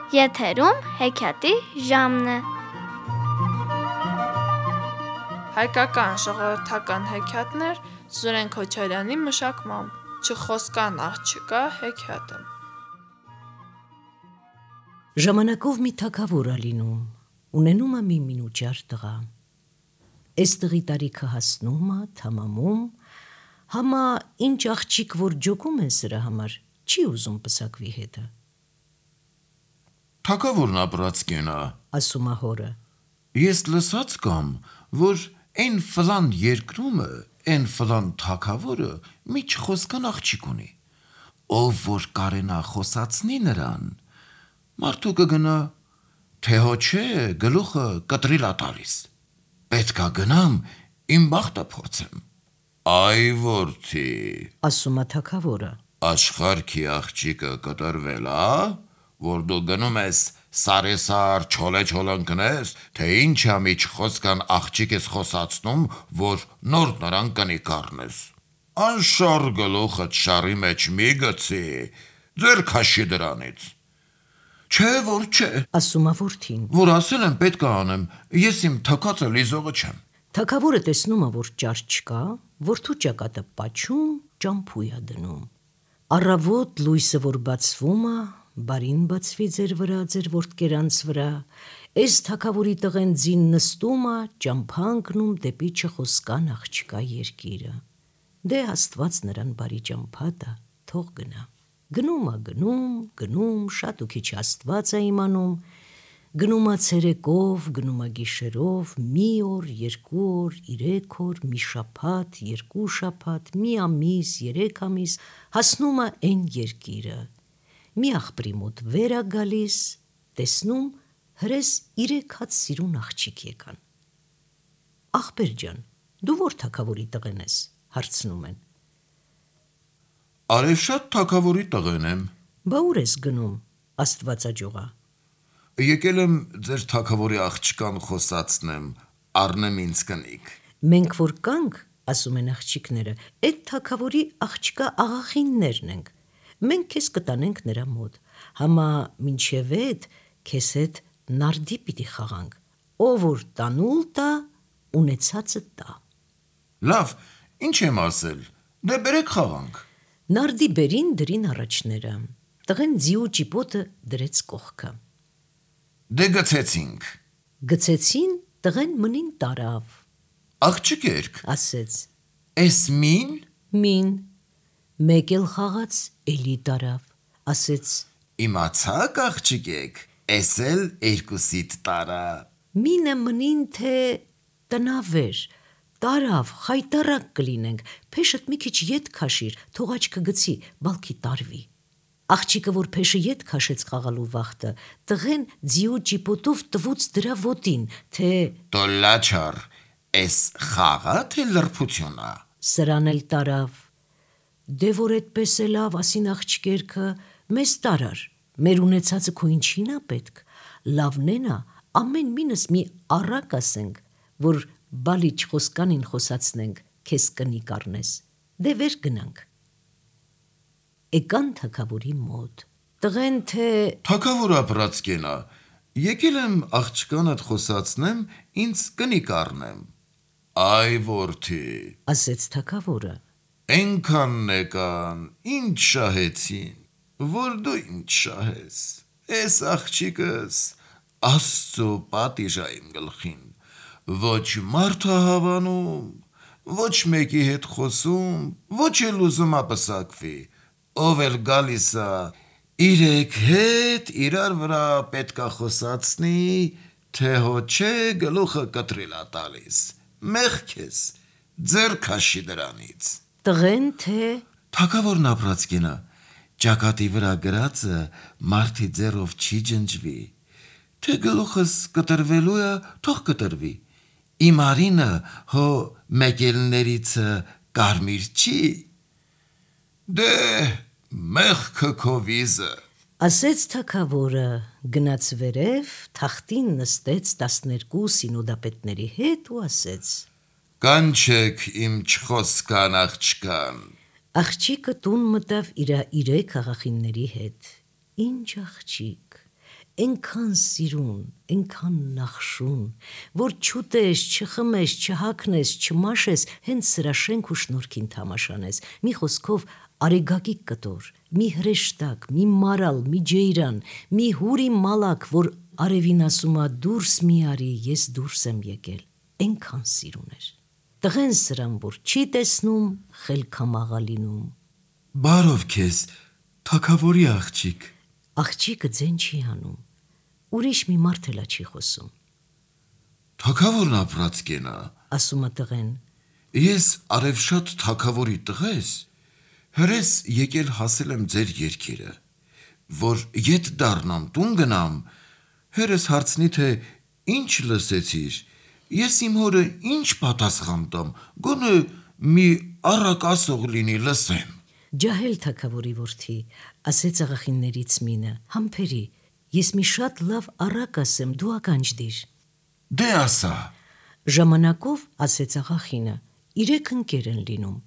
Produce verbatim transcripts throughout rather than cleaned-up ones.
Եթերում հեքիաթի ժամն է։ Հայկական ժողովրդական հեքիաթներ Սուրեն Քոչարյանի մշակմամբ «Չխոսկան աղջկա» հեքիաթը։ Ժամանակով մի թագավոր ա լինում, ունենում ա մի մինուճար տղա։ Էս տղի տարիքը հասնում ա, թամամում, համա ինչ աղջիկ, որ ջոկում են սրա համար, չի ուզում պսակվի հետը։ Թագավորն ապրած կենա, ասում ա հորը։ Ես լսած կամ, որ են ֆլան երկրումը, են ֆլան թագավորը մի չխոսկան աղջիկ ունի, ով որ կարենա խոսացնի նրան, մարդու կգնա, թե հո չէ գլուխը կտրիլ ա տալիս, պետքա գնամ իմ բախտը փորձեմ։ Այ որդի, ասում ա թագավորը, աշխարհքի աղջիկը կտրվել ա, որ դու գնում ես սարեսար չոլե չոլընկնես, թե ինչ ա մի չխոսկան աղջիկ ես խոսացնում, որ նոր նրան կնի կառնես։ Անշար գլուխդ շարի մեջ մի գցի, ձեր քաշի դրանից։ Չէ, որ չէ, ասում ա որդին, որ ասել եմ պետք է անեմ, ես իմ թքածը լիզողը չեմ։ Թագավորը տեսնում ա, որ ճար չկա, որդու ճակատը պաչում, ճամփույ ա դնում։ Առավոտ լույսը որ բացվում ա, բարին բացվի ձեր վրա, ձեր որդկերանց վրա, էս թագավորի տղեն ձին նստում ա, ճամփա ընկնում դեպի չխոսկան աղջկա երկիրը։ Դե Աստված նրան բարի ճամփա տա, թող գնա։ Գնում ա գնում, գնում, շատ ու քիչ Աստված ա իմանում, գնում ա ցերեկով, գնում ա գիշերով, մի օր, երկու օր, երեք օր, մի շաբաթ, երկու շաբաթ, մի ամիս, երեք ամիս, հասնում ա էն երկիրը։ Մի աղբրի մոտ վեր ա գալիս, տեսնում հրես իրեք հատ սիրուն աղջիկ եկան։ Աղբեր ջան, դու որ թագավորի տղեն ես, հարցնում են։ Արևշատ թագավորի տղեն եմ։ Բա ուր ես գնում, Աստվածաջողա։ Եկել եմ ձեր թագավորի աղջկան խոսացնեմ, առնեմ ինձ կնիկ։ Մենք որ կանք, ասում են աղջիկները, էդ թագավորի աղջկա աղախիններն ենք, մենք քեզ կտանենք նրա մոտ, համա մինչև էդ քեզ հետ նարդի պիտի խաղանք, ով որ տանուլ տա, ունեցածը տա։ Լավ, ինչ եմ ասել, դե բերեք խաղանք։ Նարդի բերին դրին առաջները, տղեն ձիու ճիպոտը դրեց կողքը։ Դե գցեցինք։ Գցեցին, տղեն մնին տարավ։ Աղջիկ երկ, ասեց, էս մին, մին, մեկ էլ խաղաց, էլի տարավ, ասեց, իմացաք աղջիկ եք, էս էլ երկուսիդ տարա։ Մինը մնին թե տնավեր, տարավ, խայտարակ կլինենք, փեշդ մի քիչ ետ քաշիր, թող աչքը գցի, բալքի տարվի։ Աղջիկը որ փեշը ետ քաշեց խաղալու վախտը, տղեն ձիու ճիպոտով տվուց դրա ոտին, թե Տոլաչար, էս խաղա թե լրփությունա։ Սրան էլ տարավ։ Դե որ էդպես է լավ, ասին աղջկերքը, մեզ տարար, մեր ունեցածը քո ինչին ա պետք, լավնենա, ամեն մինս մի առակ ասենք, որ բալի չխոսկանին խոսացնենք, քեզ կնի կառնես, դե վեր գնանք։ Էկան թագավորի մոտ, տղեն թե Թագավոր ապրած կենա, եկել եմ աղջկանդ խոսացնեմ, ինձ կնի կառնեմ։ Այ որդի, ասեց թագավորը, Էնքանն եկան, ինչ շահեցին, որ դու ինչ շահես, էս աղջիկս Աստծո պատիժ ա իմ գլխին, ոչ մարդ ա հավանում, ոչ մեկի հետ խոսում, ոչ էլ ուզում ա պսակվի, ով էլ գալիս ա, իրեք հետ իրար վրա պետքա խոսացնի, թե հո չէ գլուխը կտրիլ ա տալիս, մեղք ես, ձեր քաշի դրանից։ Տղեն թե Թագավորն ապրած կենա, ճակատի վրա գրածը մարդի ձեռով չի ջնջվի, թե գլուխս կտրվելու է, թող կտրվի, իմ արինը հո մեկելներիցը կարմիր չի, դե մեղքը քո վիզը։ ասեց թագավորը, գնաց վերև, թախտին նստեց տասներկու սինոդապետների հետ ու ասեց. Կանչեք իմ չխոսկան աղջկան։ Աղջիկը տուն մտավ իրա իրեք աղախինների հետ։ Ինչ աղջիկ, Էնքան սիրուն, էնքան նախշուն, որ չուտես, չխմես, չհագնես, չմաշես, հենց սրա շենք ու շնորհքին թամաշանես։ Մի խոսքով արեգակիկ կտոր, մի հրեշտակ, մի մարալ, մի ջեյրան, մի հուրի մալակ, որ արևին ասում ա դուրս մի արի, ես դուրս եմ եկել։ Էնքան սիրուն էր։ Տղեն սրան, որ չի տեսնում, խելքամաղա լինում։ Բարով քեզ, թագավորի աղջիկ։ Աղջիկը ձեն չի հանում։ Ուրիշ մի մարդ էլա չի խոսում։ Թագավորն ապրած կենա, ասում է տղեն։ Ես արևշատ թագավորի տղես, հրես եկել հասել եմ ձեր երկիրը, որ ետ դառնամ տուն գնամ, հերս հարցնի թե ինչ լսեցիր, ես իմ հորը ինչ պատասխան տամ, գոնե մի առակ ասող լինի լսեմ։ Ջահել թագավորի որդի, ասեց աղախիններից մինը, համբերի, ես մի շատ լավ առակ ասեմ, դու ականջդիր։ Դե ասա։ Ժամանակով, ասեց աղախինը, իրեք ընկեր են լինում։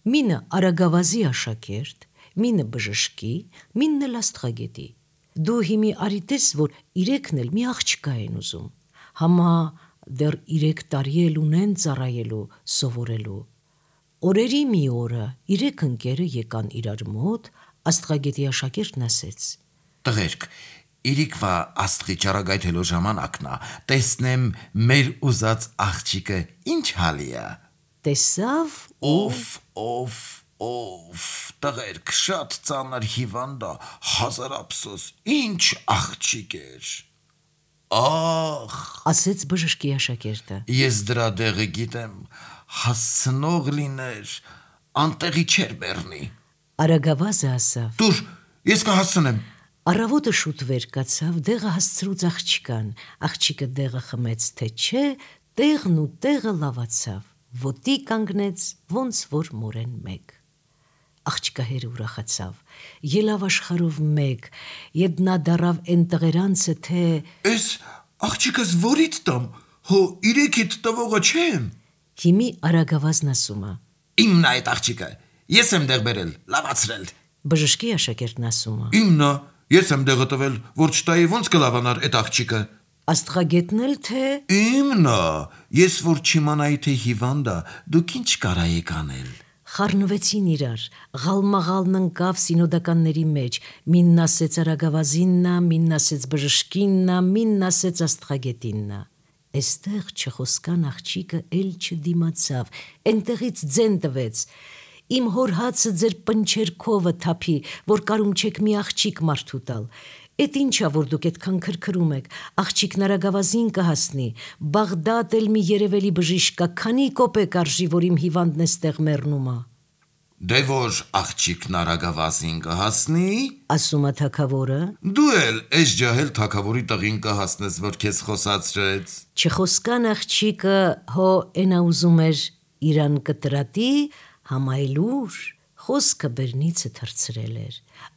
Մինը արագավազի աշակերտ, մինը բժշկի, մինն էլ աստղագետի։ Դու հիմի արիտես, որ իրեքն էլ մի աղջկա են ուզում։ Համա դեռ իրեք տարի էլ ունեն ծառայելու, սովորելու։ Օրերի մի օրը իրեք ընկերը եկան իրար մոտ, աստղագետի աշակերտն ասեց. Տղերք, իրիկվա աստղի ճառագայթելու ժամանակն ա, տեսնեմ մեր ուզած աղջիկը ինչ հալի ա։ Տեսավ Օֆ, օֆ, օֆ, տղերք, շատ ծանր հիվանդ ա, հազար ափսոս, ինչ աղջիկ էր։ Ախ, ասեց բժշկի աշակերտը։ ես դրա դեղը գիտեմ, հասցնող լիներ, անտեղի չեր բեռնի։ Արագավազը ասավ. Դուր, ես կհասցնեմ։ Առավոտը շուտ վեր կացավ, դեղը հասցրուց աղջկան, աղջիկը դեղը խմեց, թե չէ, տեղն ու տեղը լավացավ, ոտի կանգնեց, ոնց որ մորեն մեկ։ Աղջկա հերը ուրախացավ, ելավ աշխարով մեկ, ետ նա դարավ են տղերանցը, թե Ես աղջիկս որից տամ, հո իրեքիդ տվողը չեմ։ Հիմի արագավազն ասում ա. Իմն ա այդ աղջիկը, ես եմ դեղ բերել, լավացրել։ Բժշկի աշակերտն ասում ա. Իմն ա, ես եմ դեղը տվել, որ չտայի ոնց կլավանար այդ աղջիկը։ Աստղագետն էլ թե Իմն ա, ես որ չիմանայի թե հիվանդ ա, դուք ինչ կարայիք անել։ խառնվեցին իրար, ղալմաղալն ընկավ սինոդականների մեջ, մինն ասեց արագավազիննա, մինն ասեց բժշկիննա, մինն ասեց աստղագետիննա։ Էստեղ չխոսկան աղջիկը էլ չդիմացավ, էնտեղից ձեն տվեց։ Իմ հոր հացը ձեր պնչերքովը թափի, որ կարում չեք մի աղջիկ մարդու տալ։ Էդ ինչա, որ դուք այդքան քրքրում եք, աղջիկն արագավազին կհասնի, Բաղդադ էլ մի երևելի բժիշկ կա, քանի կոպեկ արժի, որ իմ հիվանդն էստեղ մեռնում ա։ Դե որ աղջիկն արագավազին կհասնի, ասում ա թագավորը, դու էլ այս ջահել թագավորի տղին կհասնես, որ քեզ խոսացրեց։ չխոսկան աղջիկը հո էնա ուզում էր իրան կտրատի, համայլուր, խոսքը բերնիցը թրցրել էր,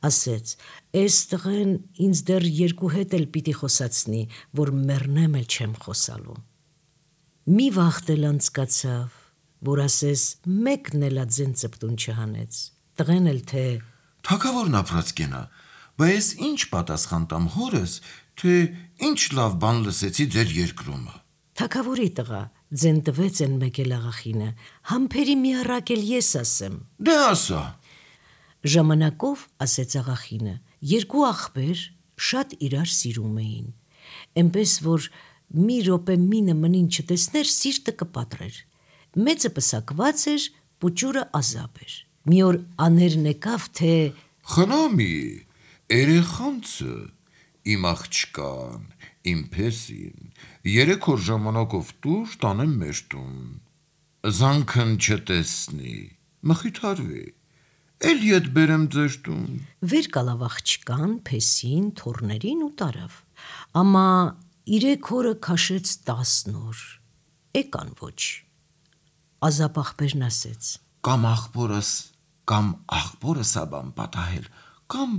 ասեց, «Էս տղեն ինձ դեռ երկու հետ էլ պիտի խոսացնի, որ մեռնեմ էլ չեմ խոսալու»։ Մի վաղտ էլ անցկացավ, որ ասես մեկն էլ adzեն ծպտուն չհանեց, տղեն էլ թե Թագավորն ապրած կենա, բայց ինչ պատասխան տամ հորս, թե ինչ լավ բան լսեցի ձեր երկրումը։ թագավորի տղա, ձեն տվեց են մեկ էլ աղախինը, համբերի մի առակ էլ ես ասեմ։ Դե ասա։ Ժամանակով, ասեց աղախինը, երկու աղբեր շատ իրար սիրում էին, էնպես որ մի րոպե մինը մնին չտեսներ, սիրտը կպատրեր, մեծը պսակված էր, պուճուրը ազապ էր, մի օր աներն եկավ, թե Խնամի, երեխանցը, իմ աղջկան, իմ փեսին, երեք օր ժամանակով տուր տանեմ մեր տուն, զանքն չտեսնի, մխիթարվի, էլ ետ բերեմ ձեր տուն։ վեր կալավ աղջկան, փեսին, թոռներին ու տարավ, ամա իրեք օրը քաշեց տասն օր, էկան ոչ, ազապ աղբերն ասեց. Կամ աղբորս, կամ աղբորս աբան պատահել, կամ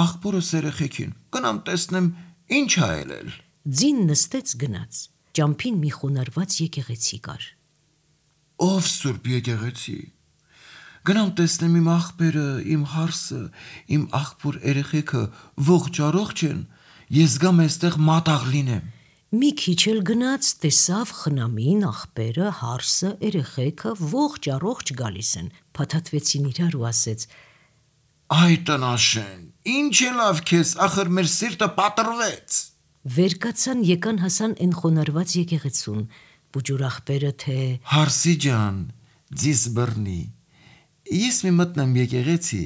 աղբորս երեխեքին, գնամ տեսնեմ ինչ ա ելել։ Ձին նստեց գնաց, ճամփին մի խոնարհված եկեղեցի կար։ Ով սուրբ եկեղեցի, գնամ տեսնեմ իմ աղբերը, իմ հարսը, իմ աղբոր երեխեքը ողջ առողջ են, ես գամ այստեղ մատաղ լինեմ։ Մի քիչ էլ գնաց, տեսավ խնամին, աղբերը, հարսը, երեխեքը ողջ առողջ գալիս են, փաթաթվեցին իրար ու ասեց. Այ տնաշեն, ինչ է լավ քեզ, ախր մեր սիրտը պատրվեց։ Վեր կացան, եկան հասան են խոնարհված եկեղեցուն, բուջուր աղբերը թե Հարսի ջան, ձիս բռնի, ես մի մտնեմ եկեղեցի,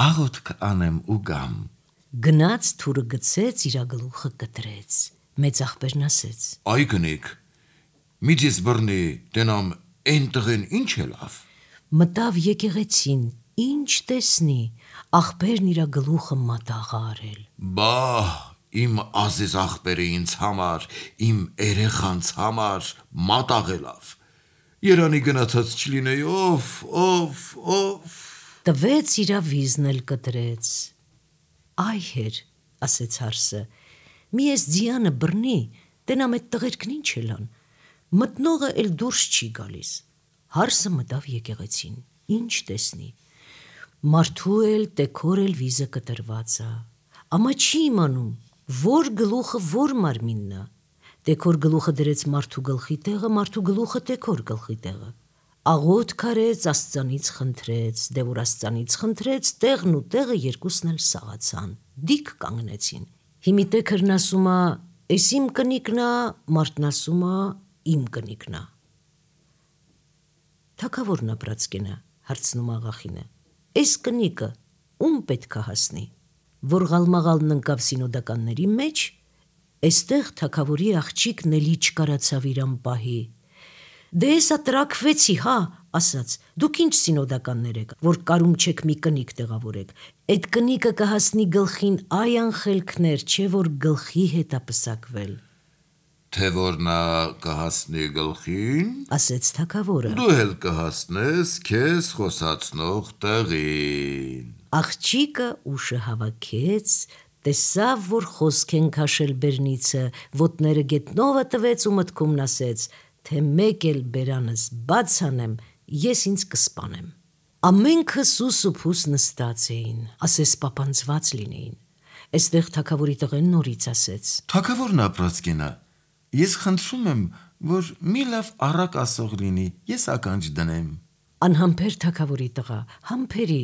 աղոթք անեմ ու գամ։ Գնաց, թուրը գցեց, իրա գլուխը կտրեց։ Մեծ աղբերն ասեց. Այ գնիկ, մի ձիս բռնի, տենամ են տղեն ինչ է լավ։ Մտավ եկեղեցին, ինչ տեսնի, աղբերն իրա գլուխը մատաղ արել։ Բա, իմ ազիզ աղբերը ինձ համար, իմ երեխանց համար մատաղ է լավ։ Երանի գնացած չլինեի, ով, ով, ով։ Տվեց իրա վիզն էլ կտրեց։ Այ հեր, ասեց հարսը, մի ես ձիանը բռնի, տենամ էդ տղերքն ինչ էլան, մտնողը էլ դուրս չի գալիս։ Հարսը մտավ եկեղեցին, ինչ տեսնի, մարդու էլ, տեքոր էլ վիզը կտրված է, ամա չի իմանում, որ գլուխը որ մարմինն է, տեքոր գլուխը դրեց մարդու գլխի տեղը, մարդու գլուխը տեքոր գլխի տեղը, աղոթ քարեց, աստծանից խնդրեց, դե որ աստծանից խնդրեց, տեղն ու տեղը երկուսն էլ սաղացան, դիք կանգնեցին։ Հիմի տեքրն ասում է, «Էս իմ կնիկն է», մարդն ասում է, «Իմ կնիկն է»։ Թագավորն ապրած կենա, հարցնում աղախինը, «Էս կնիկը ում պետք է հասնի»։ Որ Ղալմաղալն ընկավ սինոդականների մեջ, էստեղ թագավորի աղջիկն էլի չկարացավ իրան պահի։ Դե եսա տրակվեցի, հա, ասաց, դուք ինչ սինոդականներ եք, որ կարում չեք մի կնիկ տեղավորեք, այդ կնիկը կհասնի գլխին այ անխելքներ, չէ որ գլխի հետ ապսակվել։ Թե որ նա կհասնի գլխին, ասեց թագավորը։ Դու էլ կհասնես քեզ խոսացնող տեղին։ Աղջիկը ուշը հավաքեց, տեսավ, որ խոսք են քաշել բերնիցը, ոտները գետնովը տվեց ու մտքումն ասեց, թե մեկ էլ բերանս բաց անեմ, ես ինձ կսպանեմ։ Ամենքը սուս ու փուս նստած էին, ասես պապանձված լինեին։ Այստեղ թագավորի տղեն նորից ասեց. Թագավորն ապրած կենա, ես խնդրում եմ, որ մի լավ առակ ասող լինի, ես ականջ դնեմ։ Անհամբեր թագավորի տղա, համբերի,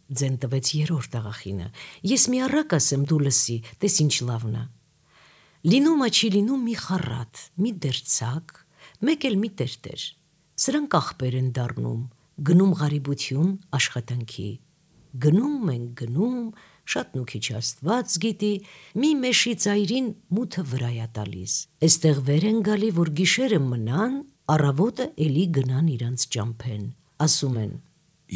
ձեն տվեց երրորդ աղախինը, ես մի առակ ասեմ, դու լսի, տես ինչ լավն է։ Լինում է չի լինում մի խառատ, մի դերձակ, մեկ էլ մի տերտեր, սրանք աղբեր են դառնում, գնում ղարիբություն աշխատանքի, գնում են գնում, շատ նուքիչ աստված գիտի, մի մեշի ծայրին մութը վրայա տալիս, էստեղ վեր են գալի, որ գիշերը մնան, առավոտը էլի գնան իրանց ճամփեն, ասում են.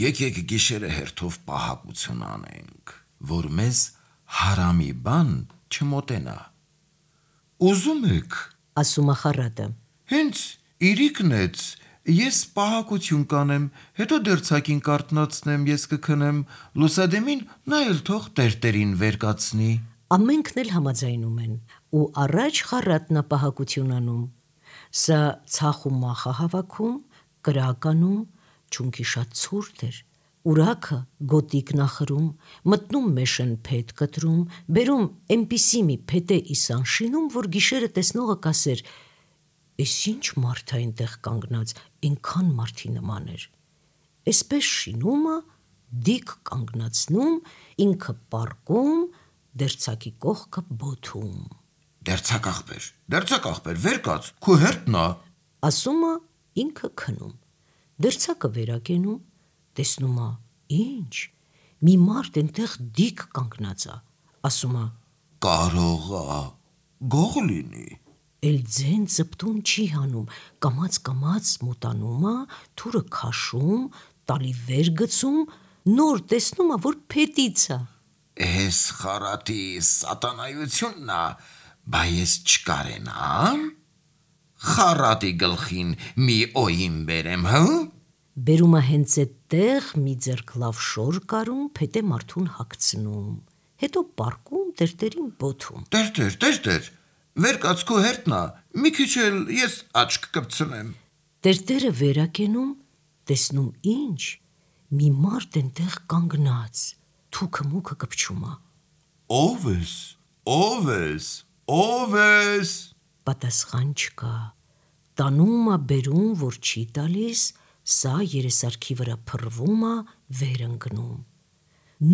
Եկեք գիշերը հերթով պահակություն անենք, որ մեզ հարամի բան չմոտենա։ Ուզում եք, ասում է խառատը, հենց իրիկնեց, ես պահակություն կանեմ, հետո դերձակին կարտնացնեմ, ես կքնեմ, լուսադեմին նա էլ թող տերտերին վեր կացնի։ Ամենքն էլ համաձայնում են, ու առաջ խառատն է պահակություն անում, սա ցախ ու մախ է հավաքում, կրականում, չունքի շատ ցուրտ էր, ուրաքը գոտիկ նախրում, մտնում մեշն փետ կտրում, բերում այնպիսի մի փետե իսան շինում, որ գիշերը տեսնողը կասեր, «Էս ինչ մարդ է այնտեղ կանգնած, այնքան մարդի նման էր»։ Էսպես շինումը դիք կանգնացնում, ինքը պառկում, դերձակի կողքը բոթում։ Դերձակ աղբեր, դերձակ աղբեր, վեր կաց, քո հերթն է։ Ասում է ինքը քնում, դերձակը վերակենում, տեսնում է, ինչ, մի մարդ այնտեղ դիք կանգնած է, ասում է. Կարող է, գող լինի։ Էլ ձեն ծպտուն չի հանում, կամաց-կամաց մոտանում է, թուրը քաշում, տալի վեր գցում, նոր տեսնում է, որ փետից է։ Էս խառատի սատանայությունն է, բա ես չկարենամ։ Խառատի գլխին մի օյին բերեմ, հա։ Բերում է հենց այդտեղ մի ձեռք լավ շոր կարում, փետե մարդուն հագցնում, հետո պառկում, տերտերին բոթում։ Տերտեր, տերտեր, վեր կաց քո հերթն է, մի քիչ էլ ես աչք կպցնեմ։ Տերտերը վերակենում, տեսնում ինչ, մի մարդ այնտեղ կանգնած, թուքը մուքը կպչում է։ Ո՞վ ես, Ո՞վ ես, ո՞վ ես։ Պատասխան չկա։ Տանում ա բերում, որ չի տալիս, սա երեսարքի վրա փռվում ա, վեր ընկնում։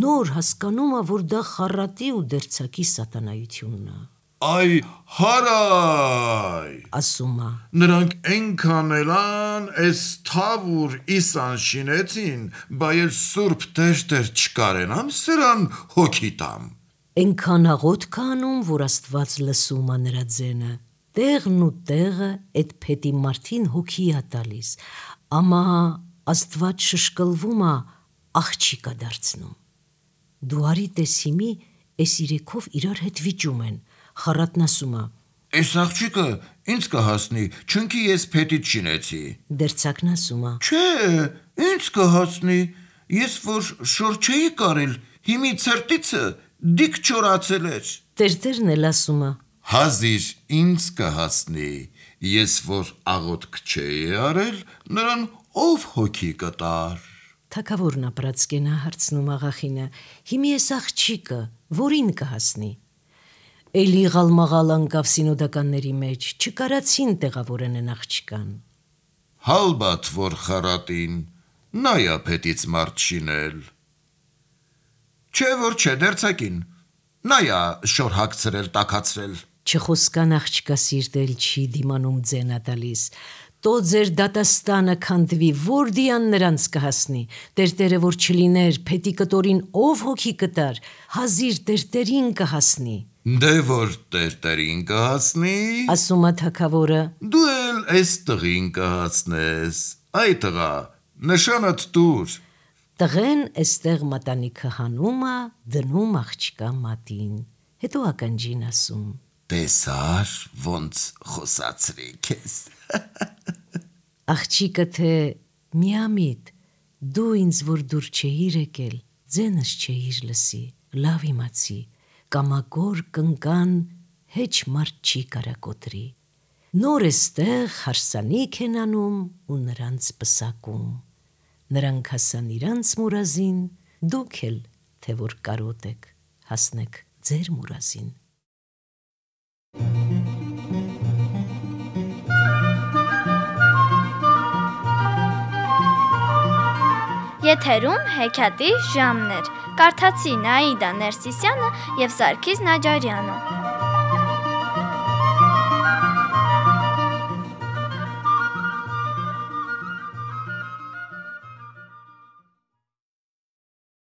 Նոր հասկանում ա, որ դա խառատի ու դերձակի սատանայությունն ա։ Այ հարայ, Ասում ա. նրանք ենքան էլան էս թավուր իսան շինեցին, բա ես սուրբ տերտեր չկարենամ սրան հոգի տամ։ Ենքան աղոտ կանում, որ Աստված լսում ա նրա ձենը, տեղն ու տեղը էդ փետի մարդին հոգի ա տալիս, ամա Աստված շշկլվում ա, աղջիկ ա դարձնում։ Դու արի տես հիմի, էս իրեքով իրար հետ վիճում են, խառատն ասում ա. Էս աղջիկը ինձ կհասնի, չունքի ես փետից շինեցի։ Դերձակն ասում ա. Չէ, ինձ կհասնի, ես որ շոր չէի կարել, հիմի ցրտիցը դիք չորացել էր։ Տերտերն էլ ասում ա. Հազիր ինձ կհասնի, ես որ աղոտք չէի արել, նրան ով հոգի կտար։ Թագավորն ապրած կենա հարցնում աղախինը, հիմի ես աղջիկը, որին կհասնի։ Էլի ղալմաղալ անկավ սինոդականների մեջ, չկարացին տեղավորեն են աղջկան։ Հալբատ որ խառատին, նայա փետից մարդ շինել։ Չէ որ չէ դերձակին, նայա շոր հագցրել, տակացրել։ Չխոսկան աղջկա սիրտել չի դիմանում ձենա տալիս, տո ձեր դատաստանը քանդվի, որ դիան նրանց կհասնի, տերտերը որ չլիներ, փետի կտորին ով հոգի կտար, հազիր տերտերին կհասնի։ Դե որ տերտերին կհասնի, Ասում ա թագավորը. դու էլ էս տղին կհասնես, այ տղա, նշանդ տուր։ Տղեն էստեղ մատանիքը հանում ա, դնում աղջկա մատին, հետո ականջին ասում. Տեսար ոնց խոսացրի քեզ։ Աղջիկը թե միամիտ, դու ինձ որ դուր չէիր եկել, ձենս չէիր լսի, լավ իմացի, կամակոր կնկան հեչ մարդ չի կարակոտրի, նոր էստեղ հարսանիք են անում ու նրանց պսակում, նրանք հասան իրանց մուրազին, դուք էլ թե որ կարոտ եք, հասնեք ձեր մուրազին։ Եթերում հեքիաթի ժամներ։ Կարդացի Նաիդա Ներսիսյանը և Սարգիս Նաջարյանը։